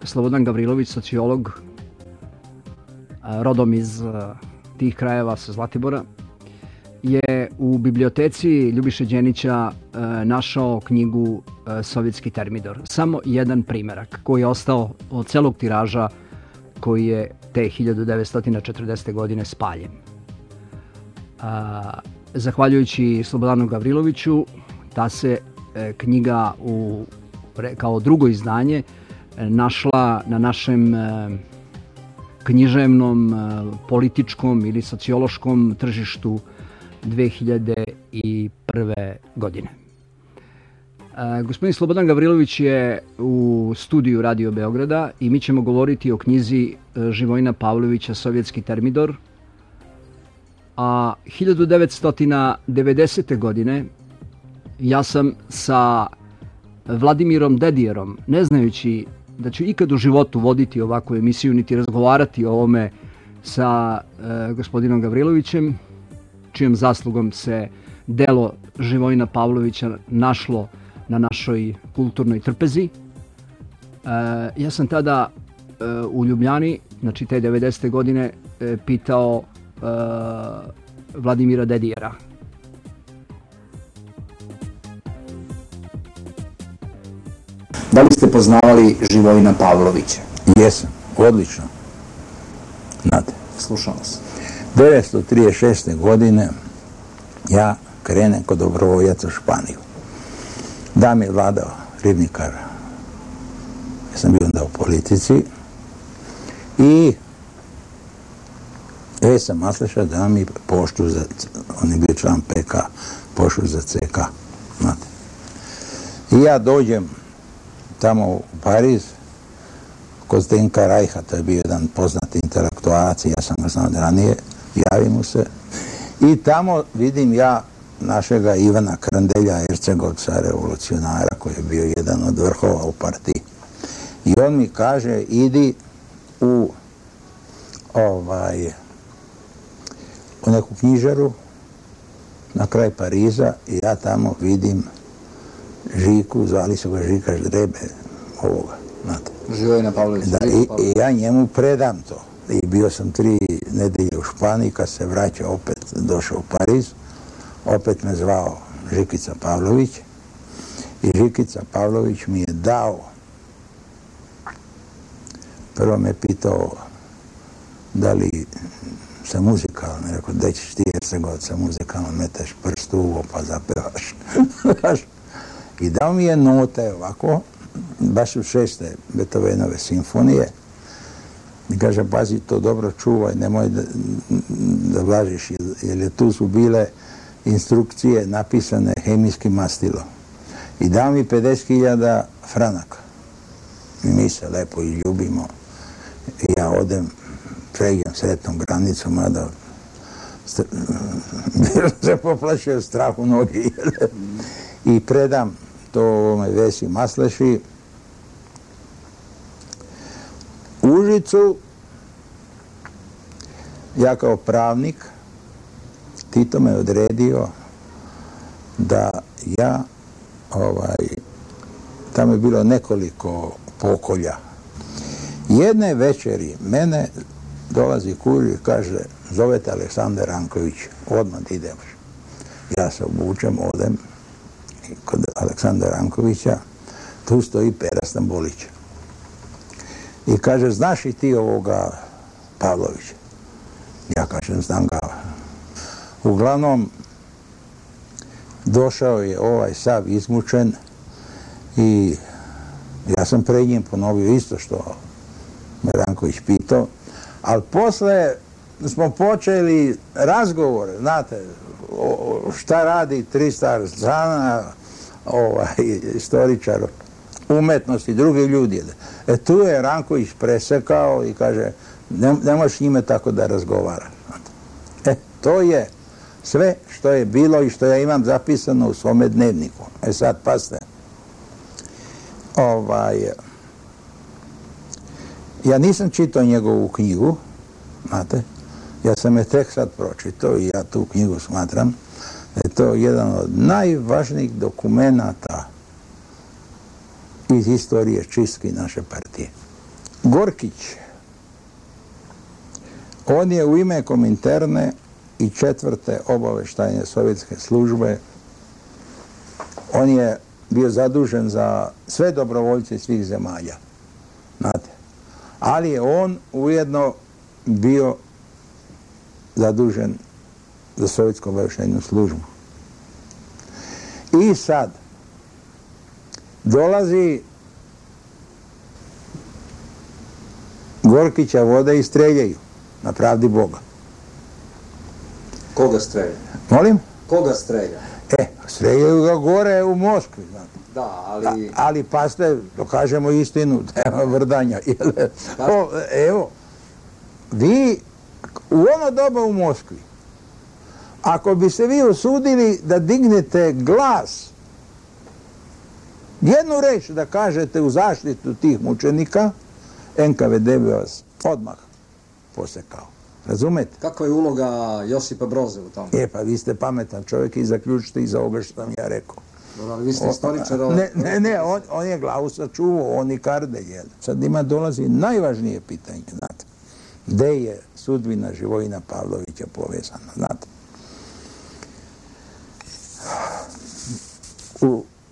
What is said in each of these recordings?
Slobodan Gavrilović, sociolog, rodom iz tih krajeva sa Zlatibora, je u biblioteci Ljubiše Đenića našao knjigu Sovjetski termidor. Samo jedan primerak koji je ostao od celog tiraža koji je te 1940. godine spaljen. Zahvaljujući Slobodanu Gavriloviću, ta se knjiga kao drugo izdanje našla na našem književnom, političkom ili sociološkom tržištu 2001. godine. Gospodin Slobodan Gavrilović je u studiju Radio Beograda i mi ćemo govoriti o knjizi Živojina Pavlovića Sovjetski termidor. A 1990. godine ja sam sa Vladimirom Dedijerom, ne znajući da ću ikad u životu voditi ovakvu emisiju niti razgovarati o ovome sa gospodinom Gavrilovićem, čijom zaslugom se delo Živojina Pavlovića našlo na našoj kulturnoj trpezi. Ja sam tada u Ljubljani, znači te 90. godine, pitao Vladimira Dedijera. Da li ste poznavali Živojina Pavlovića? Jesam, odlično. Znate. Slušam vas. 1936. godine ja krenem kod dobrovoljaca u Španiju. Da mi je vladao ribnikar. Ja sam bio onda u politici. I sam Masleša da mi poštu za, on je bio član PK, poštu za CK. Znate. I ja dođem tamo u Pariz, kod Zdenka Rajha, to je bio jedan poznati intelektualac, ja sam ga znao od ranije, javim mu se. I tamo vidim ja našega Ivana Krandelja, Ercegovca, revolucionara, koji je bio jedan od vrhova u partiji. I on mi kaže, idi u neku knjižaru na kraj Pariza i ja tamo vidim Žiku, zvali su ga Žika Ždrebe, ovoga, znate. Živojina Pavlovića. Da, i ja njemu predam to. I bio sam 3 nedelje u Španiji, kad se vraćao opet, došao u Pariz, opet me zvao Žikica Pavlović i Žikica Pavlović mi je dao, prvo me pitao da li sam muzikalan, rekao, da ćeš ti Ercegovca muzikalno, meteš prst u uvo pa zapevaš. I dao mi je note ovako, baš u 6. Beethovenove simfonije. I kaže, pazi, to dobro čuvaj, nemoj da vlažiš, jer tu su bile instrukcije napisane hemijskim mastilom. I dao mi 50.000 franaka. I mi se lepo izljubimo. I ja odem, pređem sretnom granicu, mada bilo se poplašio strahu nogi. I predam to ovome Vesi Masleši. U Užicu, ja kao pravnik, Tito me odredio da ja, tamo je bilo nekoliko pokolja. Jedne večeri mene dolazi kurir i kaže, zovete Aleksandar Ranković, odmah idemo. Ja se obučem, odem kod Aleksandra Rankovića, tu stoji Pera Stambolić. I kaže, znaš i ti ovoga Pavlovića? Ja kažem, znam ga. Uglavnom, došao je ovaj sav izmučen i ja sam pred njim ponovio isto što me Ranković pitao, ali posle smo počeli razgovor, znate, šta radi Tristar Zana, istoričar umetnosti, drugi ljudi. Tu je Ranković presekao i kaže, ne možeš njime tako da razgovara. To je sve što je bilo i što ja imam zapisano u svome dnevniku. Sad, pasite. Ja nisam čitao njegovu knjigu, znate, ja sam je tek sad pročitao i ja tu knjigu smatram da je to jedan od najvažnijih dokumenata iz istorije čistki naše partije. Gorkić, on je u ime Kominterne i 4. obavještajne sovjetske službe, on je bio zadužen za sve dobrovoljce svih zemalja, znate. Ali je on ujedno bio zadužen za sovjetsku obavještajnu službu. I sad dolazi Gorkića vode i streljaju na pravdi Boga. Koga strelja? Molim? Koga strelja? Streljaju ga gore u Moskvi, znate. Da, ali... Ali paste, dokažemo istinu, nema vrdanja. Evo, vi u ono doba u Moskvi, ako bi se vi usudili da dignete glas, jednu reč da kažete u zaštitu tih mučenika, NKVD bi vas odmah posekao. Razumete? Kakva je uloga Josipa Broza u tome? Pa vi ste pametan čovjek i zaključite iz ovoga što sam ja rekao. Dobro, ali vi ste istoričar... Ne, on je glavu sačuvao, on i Kardelj. Sad ima dolazi najvažnije pitanje, znate. Gde je sudbina Živojina Pavlovića povezana, znate.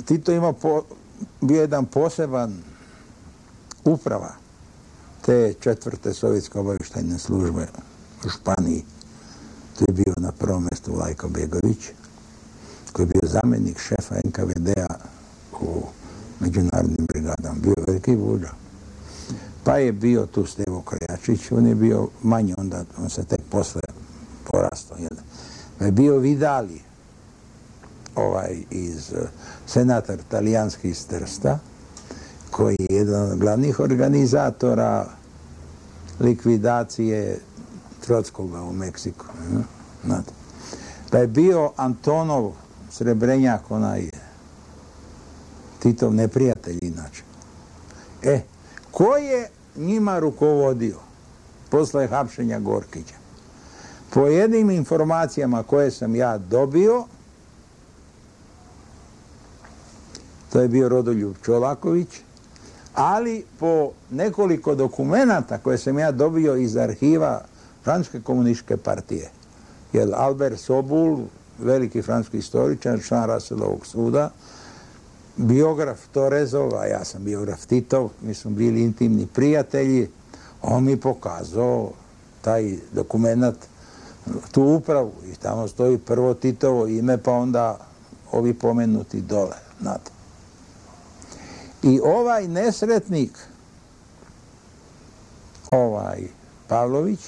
Tito ima bio jedan poseban uprava te 4. sovjetske obavještajne službe u Španiji. Tu je bio na prvom mjestu Vlajko Begović, koji je bio zamjenik šefa NKVD-a u međunarodnim brigadama. Bio veliki vođa. Pa je bio tu Stevo Krajačić, on je bio manji onda, on se tek posle porastao. Pa je bio Vidali, senator talijanski iz Trsta, koji je jedan od glavnih organizatora likvidacije Trotskoga u Meksiku. Pa je bio Antonov Srebrenjak, onaj Titov neprijatelj inače. Ko je njima rukovodio posle hapšenja Gorkića? Po jednim informacijama koje sam ja dobio, to je bio Rodoljub Čolaković, ali po nekoliko dokumenata koje sam ja dobio iz arhiva Francuske komunističke partije, jer Albert Sobul, veliki francuski istoričar, član Raselovog suda, biograf Torezov, a ja sam biograf Titov, mi smo bili intimni prijatelji, on mi pokazao taj dokumentat, tu upravu, i tamo stoji prvo Titovo ime, pa onda ovi pomenuti dole, znate. I ovaj nesretnik, Pavlović,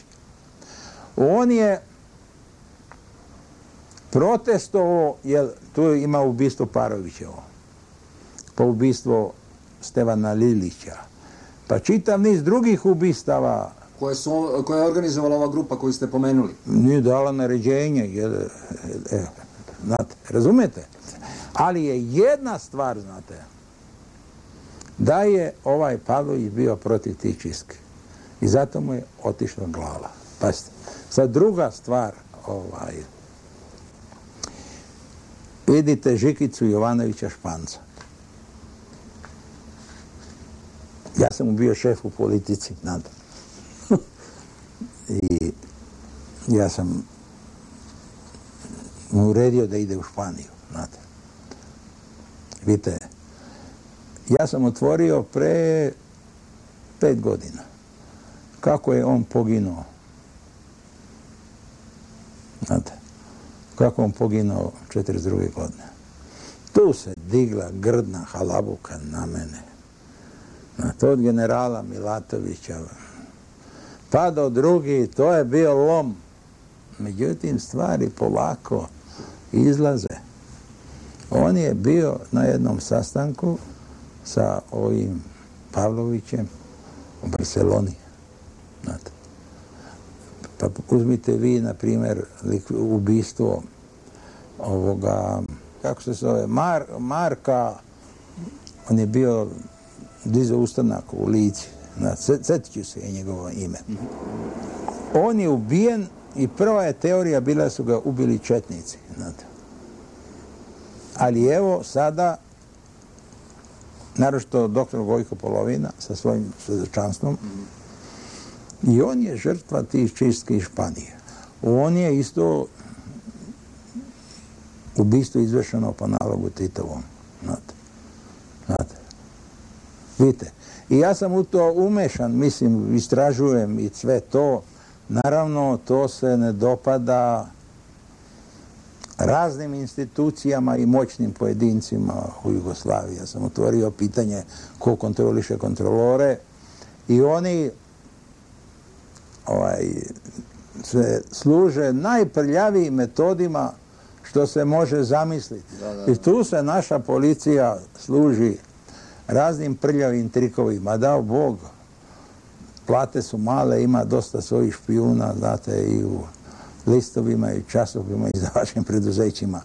on je protestovao, jer tu ima ubistvo Parovićevo, pa ubistvo Stevana Lilića, pa čitav niz drugih ubistava. Koja je organizovala ova grupa koju ste pomenuli? Nije dala naređenje, znate, razumete? Ali je jedna stvar, znate, da je ovaj Pavlović bio protiv tih čistki. I zato mu je otišla glava. Pazite, sad druga stvar, vidite Žikicu Jovanovića Španca. Ja sam mu bio šef u politici, znate. I ja sam mu uredio da ide u Španiju, znate. Vidite, ja sam otvorio pre 5 godina kako je on poginuo. Znate, kako on poginuo 42. godine. Tu se digla grdna halabuka na mene. Znate, od generala Milatovića pa do drugi, to je bio lom. Međutim, stvari polako izlaze. On je bio na jednom sastanku sa ovim Pavlovićem u Barceloni. Znate. Pa uzmite vi, na primjer, ubistvo ovoga, kako se zove, Marka, on je bio dizao ustanak u Lici. Sjetit ću se je njegovo ime. On je ubijen i prva je teorija bila su ga ubili četnici. Znate. Ali evo sada naročito doktor Gojko Polovina sa svojim svedočanstvom. I on je žrtva tih čistki iz Španije. On je isto ubistvo izvršeno po nalogu Titovom. Znate. Vidite. I ja sam u to umešan, mislim, istražujem i sve to. Naravno, to se ne dopada raznim institucijama i moćnim pojedincima u Jugoslaviji. Ja sam otvorio pitanje ko kontroliše kontrolore i oni se služe najprljavijim metodima što se može zamisliti. I tu se naša policija služi raznim prljavim trikovima. Dao Bog, plate su male, ima dosta svojih špijuna, znate, i u listovima i časovima i za vašim preduzećima.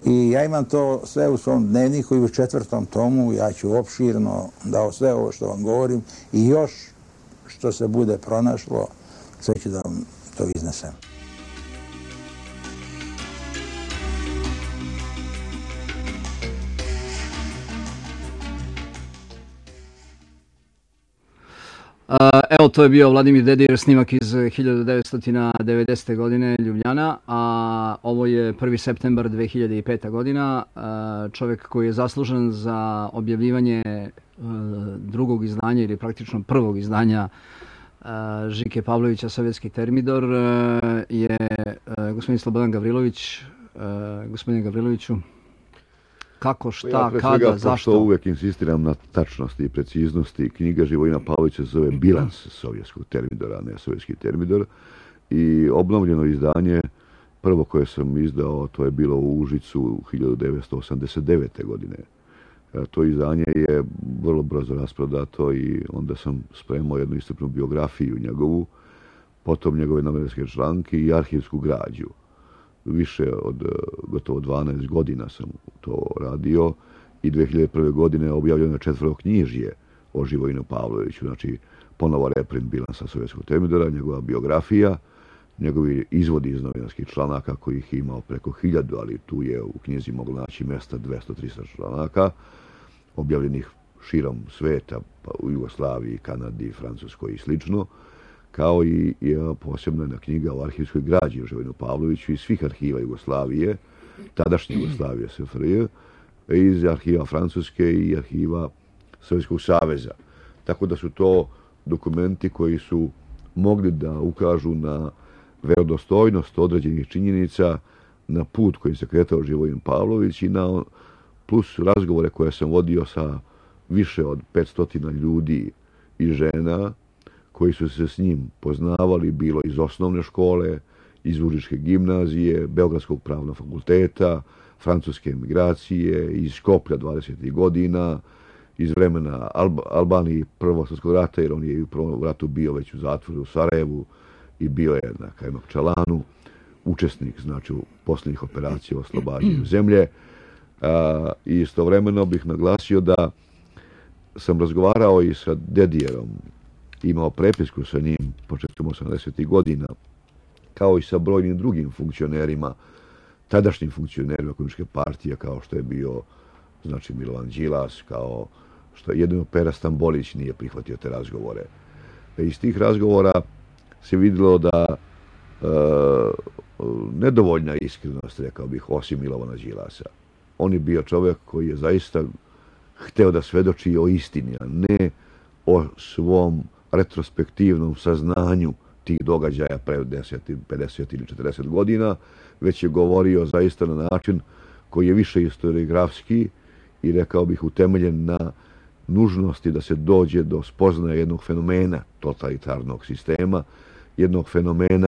I ja imam to sve u svom dnevniku i u 4. tomu, ja ću opširno dao sve ovo što vam govorim i još što se bude pronašlo, sve ću da vam to iznesem. Evo, to je bio Vladimir Dedijer, snimak iz 1990. godine, Ljubljana, a ovo je 1. septembar 2005. godina. Čovjek koji je zaslužen za objavljivanje drugog izdanja ili praktično prvog izdanja Žike Pavlovića, Sovjetski termidor, je gospodin Slobodan Gavrilović. Gospodine Gavriloviću, kako, šta, kada, zašto? Pošto uvijek insistiram na tačnosti i preciznosti, knjiga Živojina Pavlovića se zove Bilans sovjetskog termidora, ne sovjetski termidor. I obnovljeno izdanje, prvo koje sam izdao, to je bilo u Užicu 1989. godine. To izdanje je vrlo brzo rasprodato i onda sam spremao jednu iscrpnu biografiju njegovu, potom njegove novinarske članke i arhivsku građu. Više od gotovo 12 godina sam to radio i 2001. godine objavljeno je 4. knjižje o Živojinu Pavloviću, znači ponovo reprint bilansa sovjetskog termidora, njegova biografija, njegovi izvodi iz novinarskih članaka kojih je imao preko 1000, ali tu je u knjizi moglo naći mjesta 200-300 članaka, objavljenih širom sveta, pa u Jugoslaviji, Kanadi, Francuskoj i slično, kao i posebna jedna knjiga o arhivskoj građi o Živojinu Pavloviću iz svih arhiva Jugoslavije, tadašnje Jugoslavije, SFRJ, iz arhiva Francuske i arhiva Sovjetskog saveza. Tako da su to dokumenti koji su mogli da ukažu na verodostojnost određenih činjenica, na put koji se kretao Živojin Pavlović i na plus razgovore koje sam vodio sa više od 500 ljudi i žena koji su se s njim poznavali, bilo iz osnovne škole, iz Užičke gimnazije, Beogradskog pravnog fakulteta, francuske emigracije, iz Skoplja 20. godina, iz vremena Albanije Prvog svjetskog rata, jer on je u prvom ratu bio već u zatvoru u Sarajevu i bio je na Kajmakčalanu, učesnik, znači, u posljednjih operacija o oslobađanju zemlje. I istovremeno bih naglasio da sam razgovarao i sa Dedijerom, imao prepisku sa njim početkom 80. godina, kao i sa brojnim drugim funkcionerima, tadašnjim funkcionerima Komunističke partije, kao što je bio, znači, Milovan Đilas, kao što jedino Pera Stambolić nije prihvatio te razgovore. Iz tih razgovora se vidjelo da nedovoljna iskrenost, rekao bih, osim Milovana Đilasa. On je bio čovjek koji je zaista hteo da svedoči o istini, a ne o svom retrospektivnom saznanju tih događaja pre 10, 50 ili 40 godina, već je govorio zaista na način koji je više historiografski i, rekao bih, utemeljen na nužnosti da se dođe do spoznaje jednog fenomena totalitarnog sistema, jednog fenomena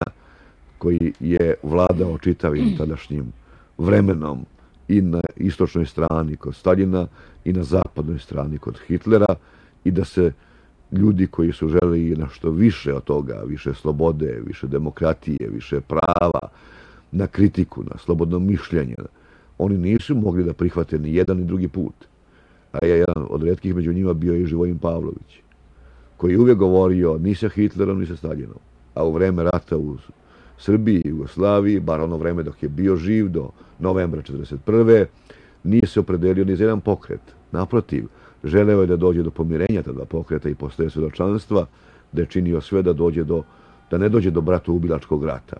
koji je vladao čitavim tadašnjim vremenom i na istočnoj strani kod Staljina i na zapadnoj strani kod Hitlera, i da se ljudi koji su želeli nešto više od toga, više slobode, više demokratije, više prava, na kritiku, na slobodno mišljenje, oni nisu mogli da prihvate ni jedan ni drugi put. A jedan od retkih među njima bio je Živojin Pavlović, koji je uvijek govorio ni sa Hitlerom, ni sa Staljinom. A u vreme rata u Srbiji i Jugoslaviji, bar ono vreme dok je bio živ do novembra 1941. nije se opredelio ni za jedan pokret. Naprotiv, želeo je da dođe do pomirenja ta dva pokreta i postaje svjedočanstva, da je činio sve da ne dođe do bratoubilačkog rata.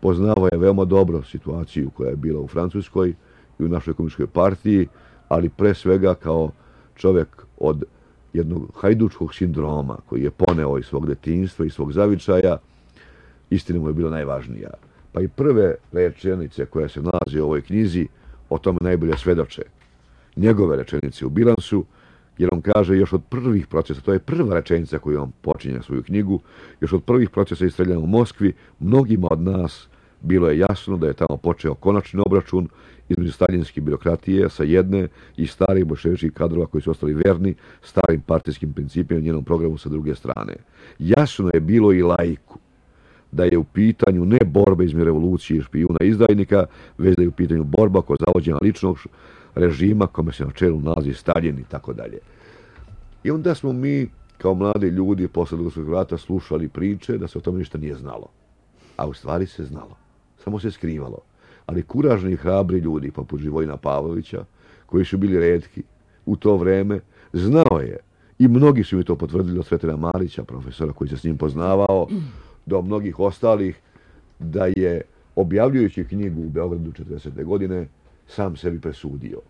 Poznavao je veoma dobro situaciju koja je bila u Francuskoj i u našoj komunističkoj partiji, ali pre svega kao čovjek od jednog hajdučkog sindroma koji je poneo iz svog detinjstva i svog zavičaja, istina mu je bila najvažnija. Pa i prve rečenice koje se nalaze u ovoj knjizi o tome najbolje svedoče. Njegove rečenice u bilansu, jer on kaže još od prvih procesa, to je prva rečenica koju on počinje svoju knjigu, još od prvih procesa istreljanja u Moskvi, mnogima od nas bilo je jasno da je tamo počeo konačni obračun između staljinske birokratije sa jedne i starih bolševičkih kadrova koji su ostali verni starim partijskim principima i njenom programu sa druge strane. Jasno je bilo i laiku da je u pitanju ne borba između revolucije i špijuna i izdajnika, već da je u pitanju borba kod zavođenja ličnog režima kome se na čelu nalazi Staljin i tako dalje. I onda smo mi kao mladi ljudi posle Drugog svjetskog rata slušali priče da se o tome ništa nije znalo. A u stvari se znalo. Samo se skrivalo. Ali kuražni i hrabri ljudi poput Živojina Pavlovića, koji su bili retki u to vreme, znao je, i mnogi su mi to potvrdili od Sretina Marića, profesora koji se s njim poznavao, do mnogih ostalih, da je objavljujući knjigu u Beogradu 40. godine sam sebi presudio.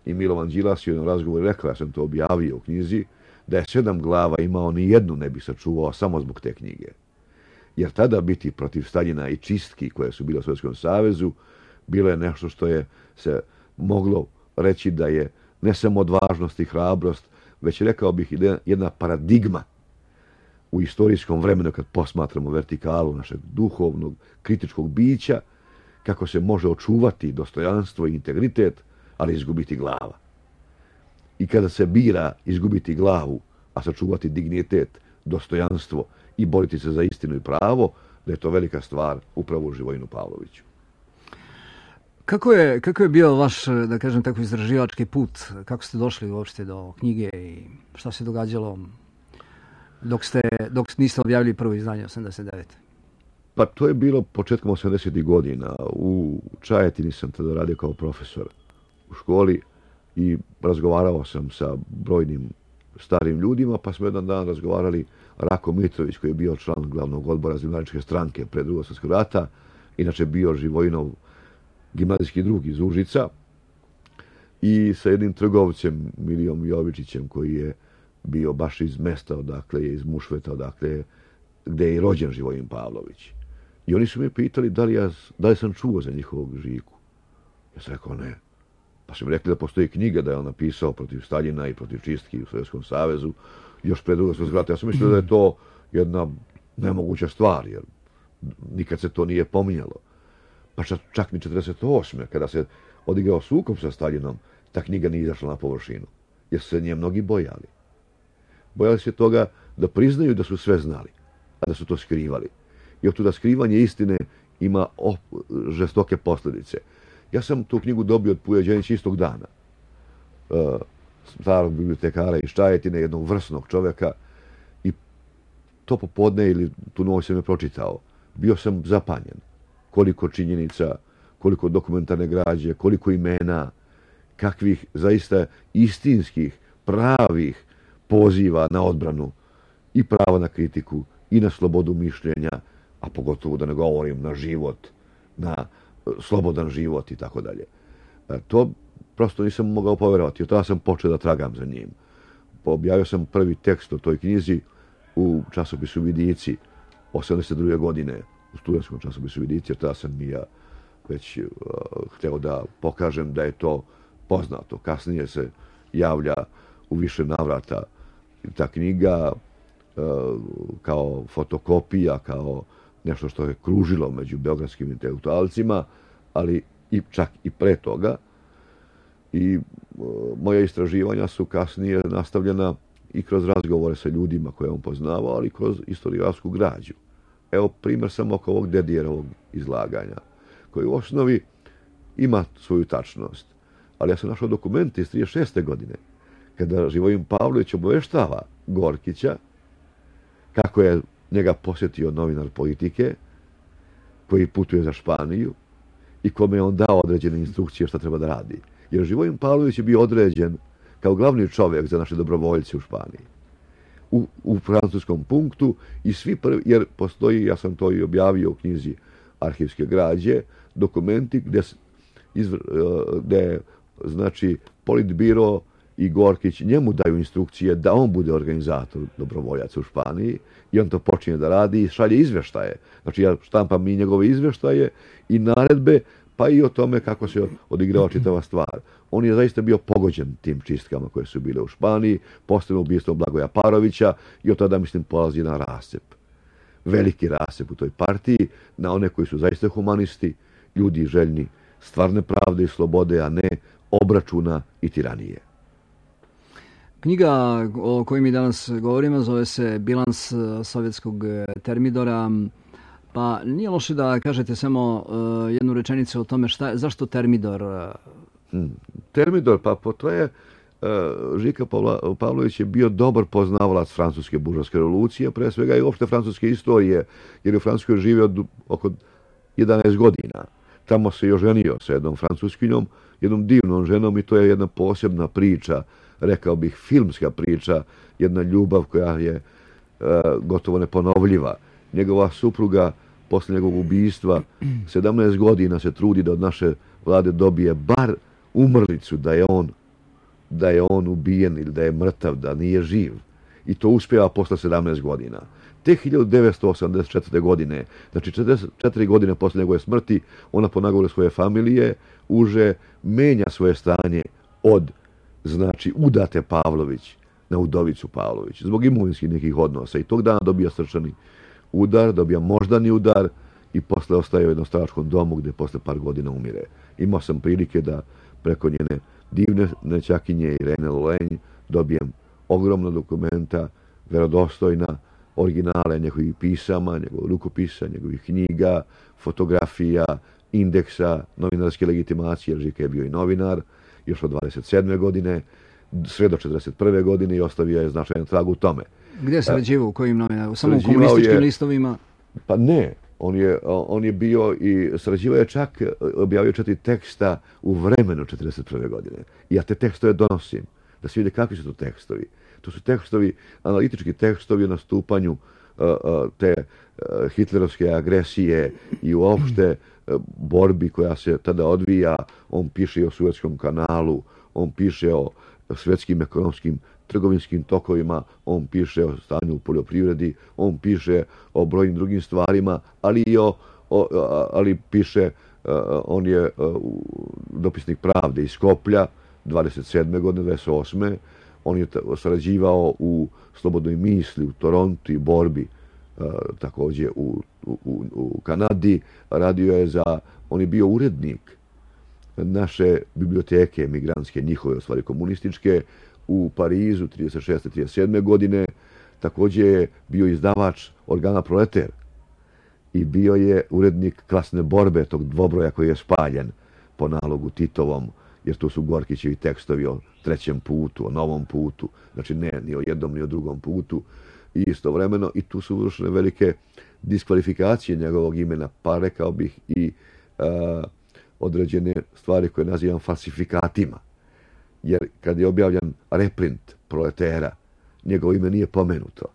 I Milovan Đilas je u jednom razgovoru rekao, ja sam to objavio u knjizi, da je 7 glava imao, ni jednu ne bi sačuvao samo zbog te knjige. Jer tada biti protiv Staljina i čistki koje su bile u Sovjetskom savezu, bilo je nešto što je se moglo reći da je ne samo odvažnost i hrabrost, već rekao bih jedna paradigma u istorijskom vremenu kad posmatramo vertikalu našeg duhovnog, kritičkog bića, kako se može očuvati dostojanstvo i integritet, ali izgubiti glava. I kada se bira izgubiti glavu, a sačuvati dignitet, dostojanstvo i boriti se za istinu i pravo, da je to velika stvar upravo u Živojinu Pavloviću. Kako je bio vaš, da kažem tako, istraživački put? Kako ste došli uopšte do knjige i šta se događalo dok niste objavili prvo izdanje 89. Pa to je bilo početkom 80. godina. U Čajetini sam tada radio kao profesor u školi i razgovarao sam sa brojnim starim ljudima, pa smo jedan dan razgovarali Rako Mitrović, koji je bio član glavnog odbora Zemljaničke stranke pred Drugog svjetskog rata, inače bio Živojinov gimnazijski drug iz Užica, i sa jednim trgovcem, Milijom Jovičićem, koji je bio baš iz mesta, odakle je, iz Mušveta, odakle gdje je i rođen Živojin Pavlović. I oni su me pitali da li sam čuo za njihovog Žiku. Ja sam rekao ne. Pa su mi rekli da postoji knjiga da je on napisao protiv Staljina i protiv čistki u Sovjetskom savezu još pred Drugog svjetskog rata. Ja sam mislio da je to jedna nemoguća stvar, jer nikad se to nije pominjalo. Pa čak ni 48. kada se odigrao sukob sa Staljinom, ta knjiga nije izašla na površinu, jer su se nje mnogi bojali. Bojali se toga da priznaju da su sve znali, a da su to skrivali. I od tuda skrivanje istine ima žestoke posljedice. Ja sam tu knjigu dobio od Puja Đenića istog dana. Starog bibliotekara iz Čajetine, jednog vrsnog čovjeka, i to popodne ili tu noć sam je pročitao. Bio sam zapanjen. Koliko činjenica, koliko dokumentarne građe, koliko imena, kakvih zaista istinskih, pravih poziva na odbranu i prava na kritiku i na slobodu mišljenja, a pogotovo da ne govorim na život, na slobodan život i tako dalje. To prosto nisam mogao povjerovati. Od tada sam počeo da tragam za njim. Objavio sam prvi tekst o toj knjizi u časopisu Vidici 82. godine, u studentskom časopisu Vidici, jer tada sam i ja već htio da pokažem da je to poznato. Kasnije se javlja u više navrata ta knjiga kao fotokopija, kao nešto što je kružilo među beogradskim intelektualcima, ali i čak i pre toga. I moja istraživanja su kasnije nastavljena i kroz razgovore sa ljudima koje on poznavao, ali kroz istorijsku građu. Evo primjer samo oko ovog Dedijerovog izlaganja, koji u osnovi ima svoju tačnost. Ali ja sam našao dokumente iz 36. godine, kada Živojin Pavlović obaveštava Gorkića kako je njega posjetio novinar Politike, koji putuje za Španiju i kome je on dao određene instrukcije šta treba da radi. Jer Živojin Pavlović je bio određen kao glavni čovjek za naše dobrovoljce u Španiji. U francuskom punktu i svi prvi, jer postoji, ja sam to i objavio u knjizi Arhivske građe, dokumenti gdje znači Politbiro i Gorkić njemu daju instrukcije da on bude organizator dobrovoljaca u Španiji i on to počinje da radi i šalje izvještaje. Znači ja štampam i njegove izvještaje i naredbe, pa i o tome kako se odigrava čitava stvar. On je zaista bio pogođen tim čistkama koje su bile u Španiji, posebno ubijstvom Blagoja Parovića i od tada, mislim, polazi na rascep. Veliki rascep u toj partiji, na one koji su zaista humanisti, ljudi željni stvarne pravde i slobode, a ne obračuna i tiranije. Knjiga o kojoj mi danas govorimo zove se Bilans sovjetskog termidora. Pa nije loše da kažete samo jednu rečenicu o tome zašto termidor? Termidor, pa to je Žika Pavlović je bio dobar poznavalac francuske buržovske revolucije, pre svega i uopšte francuske istorije, jer je u Francuskoj živio oko 11 godina. Tamo se i oženio sa jednom francuskinjom, jednom divnom ženom i to je jedna posebna priča, rekao bih filmska priča, jedna ljubav koja je gotovo neponovljiva. Njegova supruga posle njegovog ubijstva 17 godina se trudi da od naše vlade dobije bar umrlicu da je on ubijen ili da je mrtav, da nije živ. I to uspjeva posle 17 godina. Te 1984. godine, znači 44 godine posle njegove smrti, ona po nagovoru svoje familije uže menja svoje stanje od, znači, udate Pavlović na udovicu Pavlović, zbog imovinskih nekih odnosa. I tog dana dobija srčani udar, dobija moždani udar i posle ostaje u jednom staračkom domu gdje posle par godina umire. Imao sam prilike da preko njene divne nećakinje Irene Lolenj dobijem ogromna dokumenta, verodostojna, originale njegovih pisama, njegovog rukopisa, njegovih knjiga, fotografija, indeksa, novinarske legitimacije, jer Žika je bio i novinar, još od 27. godine, sve do 41. godine i ostavio je značajan trag u tome. Gdje se sarađivao, u kojim novinarima? Samo u komunističkim listovima? Pa ne, on je bio i sarađivao je čak, objavio 4 teksta u vremenu 41. godine. I ja te tekstove donosim, da se vide kakvi su to tekstovi. To su tekstovi, analitički tekstovi o nastupanju te hitlerovske agresije i uopšte borbi koja se tada odvija. On piše i o Suetskom kanalu, on piše o svjetskim ekonomskim trgovinskim tokovima, on piše o stanju u poljoprivredi, on piše o brojnim drugim stvarima, ali piše, on je dopisnik Pravde iz Skoplja, 27. godine, 28. On je sarađivao u Slobodnoj misli, u Torontu i borbi, također u Kanadi. Radio je on je bio urednik naše biblioteke emigrantske, njihove, u stvari komunističke, u Parizu 36. 37. godine. Također je bio izdavač organa Proleter i bio je urednik Klasne borbe, tog dvobroja koji je spaljen po nalogu Titovom, jer tu su Gorkićevi tekstovi o trećem putu, o novom putu, znači ne ni o jednom ni o drugom putu. I istovremeno i tu su vršene velike diskvalifikacije njegovog imena, pa rekao bih i određene stvari koje nazivam falsifikatima. Jer kad je objavljan reprint Proletera, njegovo ime nije pomenuto,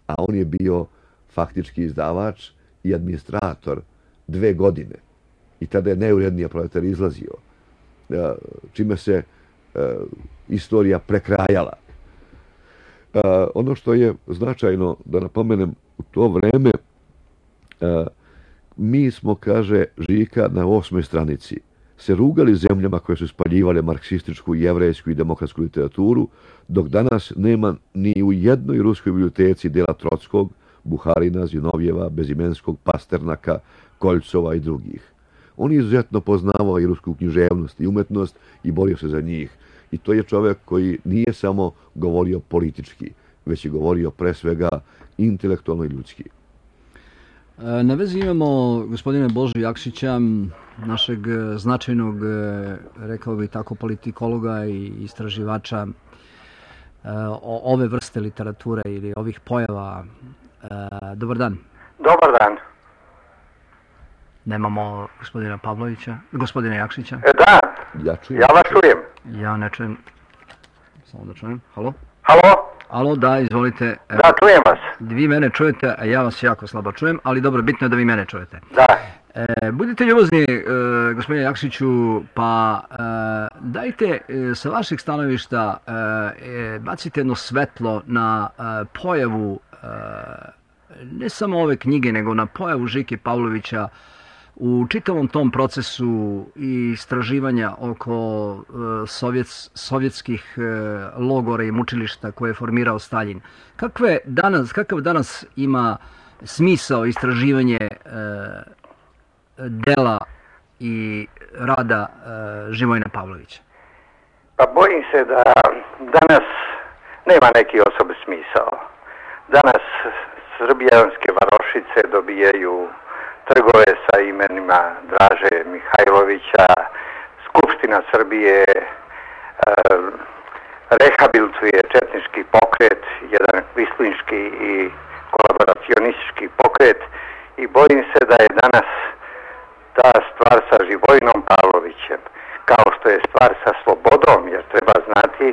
a on je bio faktički izdavač i administrator 2 godine. I tada je najurednije Proletar izlazio, čime se istorija prekrajala. Ono što je značajno da napomenem, u to vreme mi smo, kaže Žika na 8. stranici, se rugali zemljama koje su spaljivale marksističku, jevrejsku i demokratsku literaturu, dok danas nema ni u jednoj ruskoj biblioteci dela Trockog, Buharina, Zinovjeva, Bezimenskog, Pasternaka, Koljcova i drugih. On je izuzetno poznavao i rusku književnost i umetnost i borio se za njih. I to je čovjek koji nije samo govorio politički, već je govorio pre svega intelektualno i ljudski. Na vezi imamo gospodine Božu Jakšića, našeg značajnog, rekao bih tako, politikologa i istraživača ove vrste literature ili ovih pojava. Dobar dan. Dobar dan. Nemamo gospodina Jakšića. Da, ja vas čujem. Ja ne čujem. Samo da čujem. Halo? Halo? Alo, da, izvolite. Evo, Da, čujem vas. vi mene čujete, a ja vas jako slabo čujem, ali dobro, bitno je da vi mene čujete. Da. Budite ljubazni, gospodine Jakšiću, pa dajte sa vašeg stanovišta bacite jedno svetlo na pojavu ne samo ove knjige, nego na pojavu Žike Pavlovića u čitavom tom procesu i istraživanja oko sovjetskih logora i mučilišta koje je formirao Staljin. Kakav danas ima smisao istraživanje dela i rada Živojina Pavlovića? Pa bojim se da danas nema neki osobi smisao. Danas srbijanske varošice dobijaju trgove sa imenima Draže Mihajlovića, Skupština Srbije rehabilituje četnički pokret, jedan kvislinški i kolaboracionistički pokret, i bojim se da je danas ta stvar sa Živojinom Pavlovićem, kao što je stvar sa slobodom, jer treba znati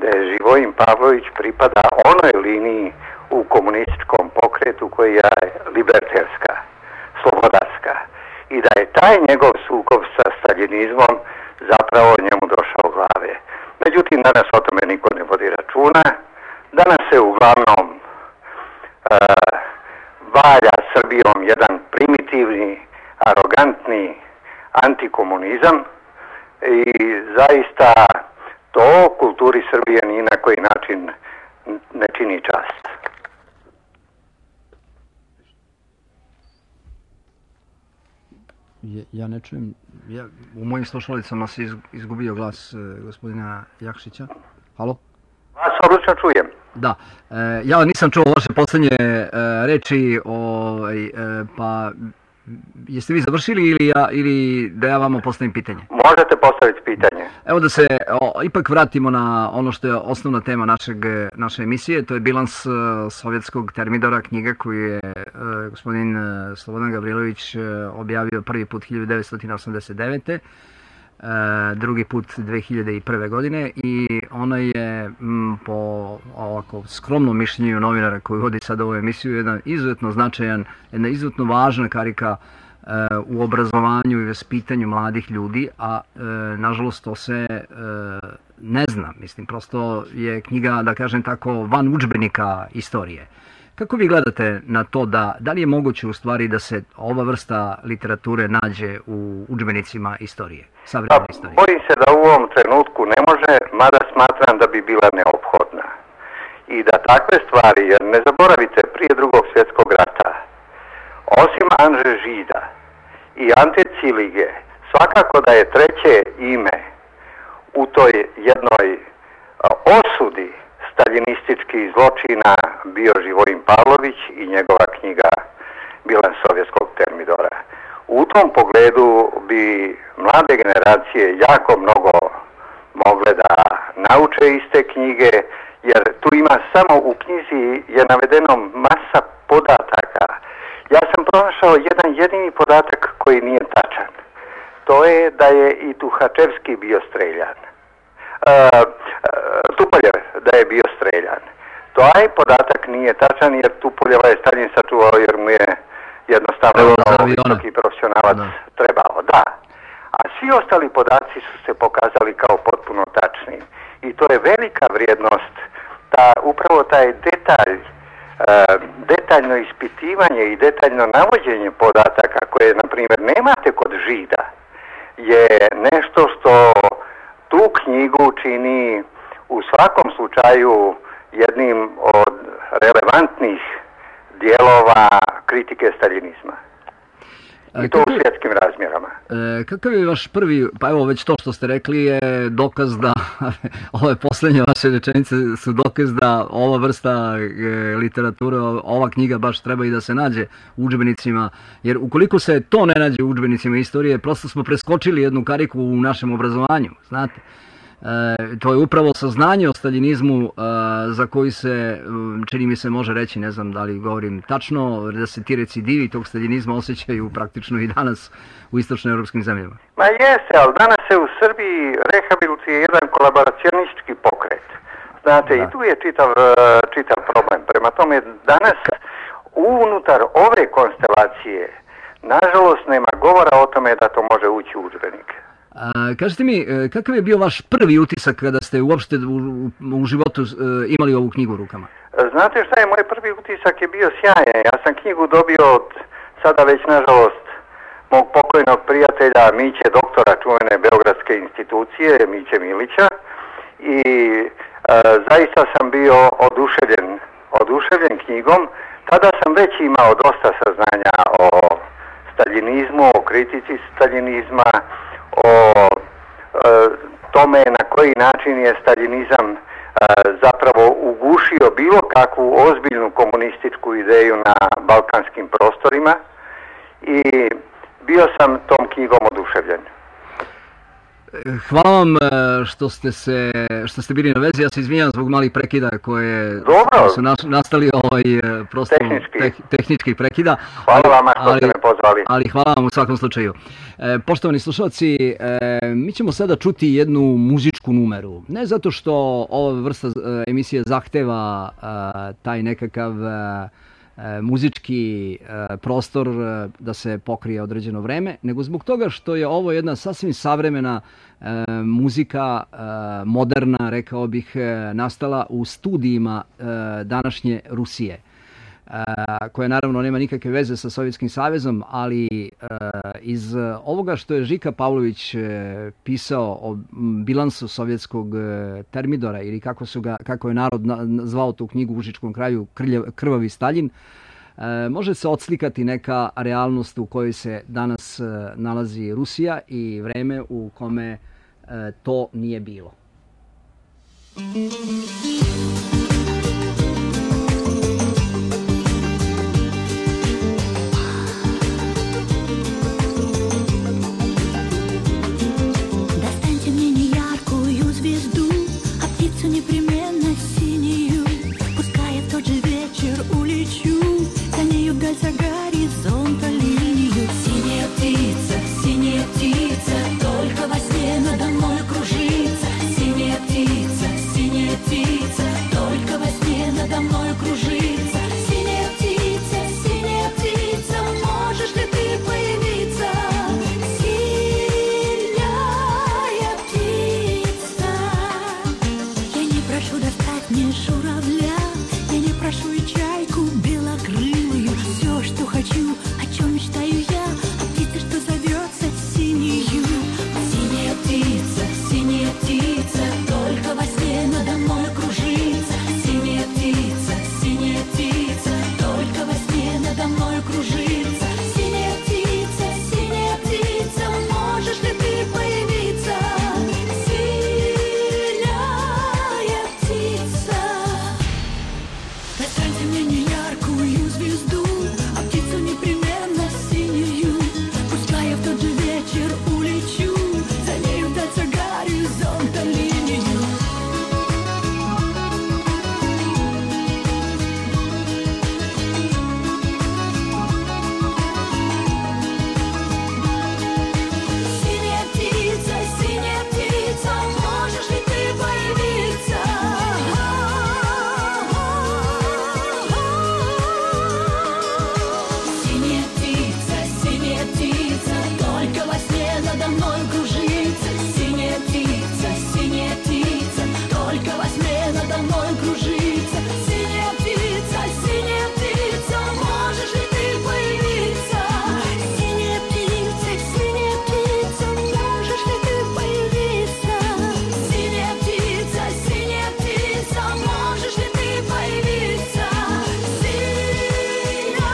da je Živojin Pavlović pripada onoj liniji u komunističkom pokretu koja je liberterska, slobodarska, i da je taj njegov sukob sa staljinizmom zapravo njemu došao u glave. Međutim, danas o tome niko ne vodi računa. Danas se uglavnom valja Srbijom jedan primitivni, arogantni antikomunizam i zaista to kulturi Srbije ni na koji način ne čini čast. Ja ne čujem, u mojim slušalicama se izgubio glas gospodina Jakšića. Halo? Vas odlično čujem. Da, ja nisam čuo vaše poslednje reči, pa jeste vi završili ili da ja vama postavim pitanje? Možete postaviti pitanje. Evo da se ipak vratimo na ono što je osnovna tema naše emisije, to je bilans sovjetskog termidora, knjiga koju je gospodin Slobodan Gavrilović objavio prvi put 1989. Drugi put 2001. godine i ona je po ovako skromnom mišljenju novinara koji vodi sad ovu emisiju jedan izuzetno značajan, jedna izuzetno važna karika u obrazovanju i vaspitanju mladih ljudi, a nažalost to se ne zna. Mislim, prosto je knjiga, da kažem tako, van udžbenika istorije. Kako vi gledate na to da li je moguće u stvari da se ova vrsta literature nađe u udžbenicima istorije, savremene istorije? Bojim se da u ovom trenutku ne može, mada smatram da bi bila neophodna. I da takve stvari, jer ne zaboravite, prije Drugog svjetskog rata, osim Anže Žida i Ante Cilige, svakako da je treće ime u toj jednoj osudi staljinističkih zločina bio Živojin Pavlović i njegova knjiga Bilans sovjetskog termidora. U tom pogledu bi mlade generacije jako mnogo mogle da nauče iz te knjige, jer tu ima samo u knjizi je navedeno masa podataka. Ja sam pronašao jedan jedini podatak koji nije tačan. To je da je i Tuhačevski bio streljan. Tupoljev da je bio streljan. Taj podatak nije tačan jer Tupoljeva je Staljin sačuvao jer mu je jednostavno visoki profesionalac trebao. Da. A svi ostali podaci su se pokazali kao potpuno tačni. I to je velika vrijednost, upravo taj detalj, detaljno ispitivanje i detaljno navođenje podataka koje, na primjer, nemate kod Žida, je nešto što tu knjigu čini u svakom slučaju jednim od relevantnih dijelova kritike staljinizma. I to u svjetskim razmjerama. Kakav je vaš prvi, pa evo već to što ste rekli je dokaz da, ove posljednje vaše rečenice su dokaz da ova vrsta literature, ova knjiga baš treba i da se nađe u udžbenicima, jer ukoliko se to ne nađe u udžbenicima istorije, prosto smo preskočili jednu kariku u našem obrazovanju, znate. To je upravo saznanje o staljinizmu za koji se, čini mi se, može reći, ne znam da li govorim tačno, da se ti recidivi tog staljinizma osjećaju praktično i danas u istočnoevropskim zemljama. Ma jeste, ali danas se u Srbiji rehabilituje jedan kolaboracionistički pokret. Znate, i tu je čitav problem. Prema tome, danas unutar ove konstelacije, nažalost, nema govora o tome da to može ući u udžbenik. Kažete mi, kakav je bio vaš prvi utisak kada ste uopšte u životu imali ovu knjigu u rukama? Znate šta je, moj prvi utisak je bio sjajan. Ja sam knjigu dobio od sada već, nažalost, mog pokojnog prijatelja Miće, doktora čuvene Beogradske institucije, Miće Milića, i zaista sam bio oduševljen knjigom. Tada sam već imao dosta saznanja o staljinizmu, o kritici staljinizma, o tome na koji način je staljinizam zapravo ugušio bilo kakvu ozbiljnu komunističku ideju na balkanskim prostorima i bio sam tom knjigom oduševljen. Hvala vam što ste bili na vezi. Ja se izvinjam zbog malih prekida koje su nastali prosto tehničkih prekida. Hvala vama što ste me pozvali. Ali hvala vam u svakom slučaju. Poštovani slušalci, mi ćemo sada čuti jednu muzičku numeru. Ne zato što ova vrsta emisije zahteva taj nekakav muzički prostor da se pokrije određeno vreme, nego zbog toga što je ovo jedna sasvim savremena muzika, moderna, rekao bih, nastala u studijima današnje Rusije, koja naravno nema nikakve veze sa Sovjetskim savezom, ali iz ovoga što je Žika Pavlović pisao o bilansu sovjetskog termidora, ili kako je narod zvao tu knjigu u Užičkom kraju, Krvavi Staljin, može se odslikati neka realnost u kojoj se danas nalazi Rusija i vreme u kome to nije bilo. Непременно синюю, пускай в тот же вечер улечу, за нею вдаль за горизонта линию. Синяя птица, только во сне надо мной кружится. Синяя птица, только во сне надо мной кружится. Синяя птица, можешь ли ты появиться? Синяя птица. Я не прошу достать мне журавля, я не прошу и чайку белокрылую. Все, что хочу, о чем мечтаю я, о птице, что зовется синею. Синяя птица, только во сне надо мной кружится. Синяя птица, только во сне надо мной кружится. Синяя птица, можешь ли ты появиться? Синяя птица. Достаньте мне неяркую звезду, а птицу непременно синюю. Пускай я в тот же вечер улечу, за нею вдаль за горизонта линию. Синяя птица, можешь ли ты появиться? Синяя птица, только во сне надо мной кружится. Синяя птица, только во сне надо мной кружится. Синяя птица, можешь ли ты появиться? Синяя птица, можешь ли ты появиться? Синяя птица, можешь ли ты появиться? Синяя птица.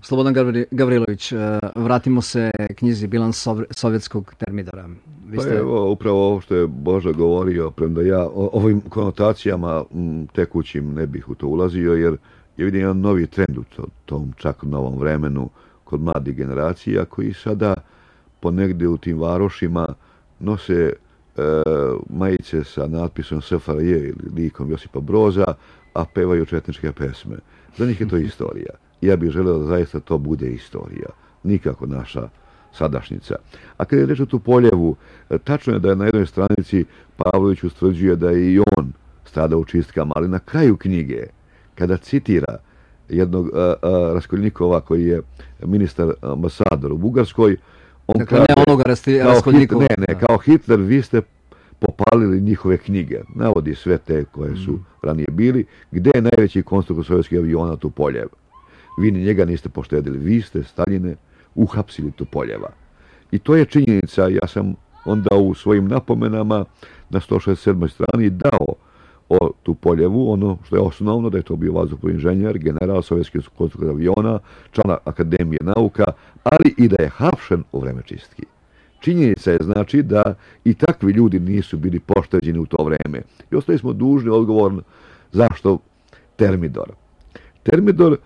Slobodan Gavrilović, vratimo se knjizi Bilans sovjetskog termidora. Pa evo, upravo ovo što je Boža govorio, premda ja ovim konotacijama tekućim ne bih u to ulazio, jer je vidim jedan novi trend u tom čak novom vremenu kod mladih generacija koji sada ponegdje u tim varošima nose majice sa natpisom SFRJ ili likom Josipa Broza, a pevaju četničke pesme. Za njih je to istorija. Ja bih želeo da zaista to bude istorija. Nikako naša sadašnjica. A kada je reč o Tupoljevu, tačno je da je na jednoj stranici Pavlović ustvrđuje da je i on stradao u čistkama, ali na kraju knjige, kada citira jednog Raskolnikova koji je ministar ambasador u Bugarskoj, on dakle, kaže, ne onoga Raskolnikova. Kao Hitler vi ste popalili njihove knjige. Navodi sve te koje su ranije bili. Gde je najveći konstruktor sovjetskih aviona? Tupoljev. Vi ni njega niste poštedili. Vi ste, Staljine, uhapsili Tupoljeva. I to je činjenica. Ja sam onda u svojim napomenama na 167. strani dao o Tupoljevu, ono što je osnovno, da je to bio vazduhoplovni inženjer, general sovjetskih konstruktora aviona, član Akademije nauka, ali i da je hapšen u vreme čistki. Činjenica je znači da i takvi ljudi nisu bili pošteđeni u to vreme. I ostali smo dužni odgovor zašto Termidor. Termidor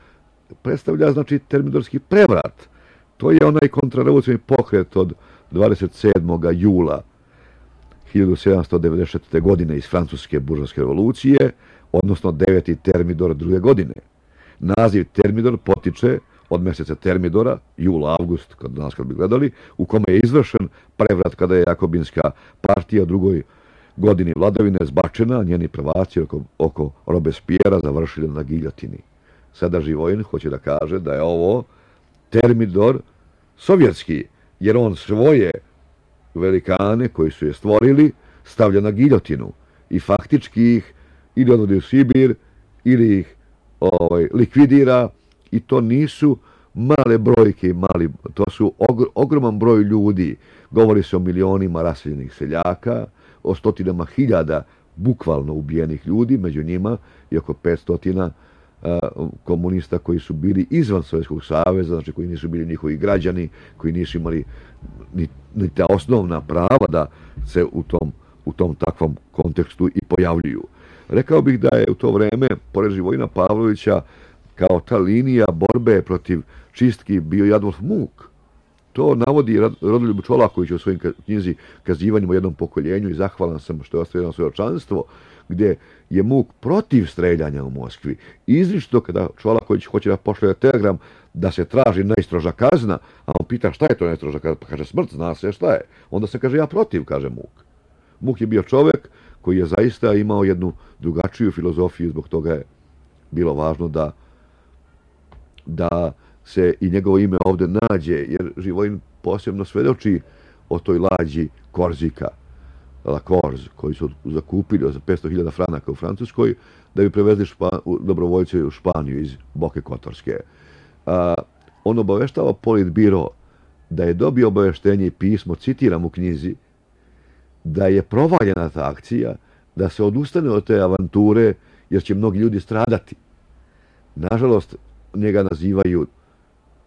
predstavlja znači termidorski prevrat. To je onaj kontrarevolucionarni pokret od 27. jula 1794. godine iz Francuske buržovske revolucije, odnosno 9. Termidor druge godine. Naziv Termidor potiče od mjeseca Termidora, jul-avgust, kad bi gledali, u kome je izvršen prevrat kada je Jakobinska partija u drugoj godini vladavine zbačena, njeni prvaci oko Robespiera završili na giljotini. Sada Živojin hoće da kaže da je ovo Termidor sovjetski, jer on svoje velikane koji su je stvorili stavlja na giljotinu i faktički ih ili odvodi u Sibir ili ih likvidira. I to nisu male brojke, to su ogroman broj ljudi. Govori se o milionima raseljenih seljaka, o stotinama hiljada bukvalno ubijenih ljudi, među njima i oko 500 komunista koji su bili izvan Sovjetskog saveza, znači koji nisu bili njihovi građani, koji nisu imali ni ta osnovna prava da se u tom takvom kontekstu i pojavljuju. Rekao bih da je u to vreme, pored Živojina Pavlovića, kao ta linija borbe protiv čistki bio i Adolf Muk. To navodi Rodoljub Čolaković u svojim knjizi Kazivanjima o jednom pokoljenju i zahvalan sam što je ostavljeno svjedočanstvo, gdje je Muk protiv streljanja u Moskvi. Izričito kada Čolaković hoće da pošalje telegram da se traži najstroža kazna, a on pita šta je to najstroža kazna, pa kaže smrt, zna se šta je. Onda se kaže ja protiv, kaže Muk. Muk je bio čovjek koji je zaista imao jednu drugačiju filozofiju, zbog toga je bilo važno da se i njegovo ime ovdje nađe, jer Živojin posebno svedoči o toj lađi Korzika, La Corse, koji su zakupili za 500.000 franaka u Francuskoj, da bi prevezli dobrovoljce u Španiju iz Boke Kotorske. On obaveštava Politbiro da je dobio obaveštenje i pismo, citiram u knjizi, da je provaljena ta akcija, da se odustane od te avanture, jer će mnogi ljudi stradati. Nažalost, njega nazivaju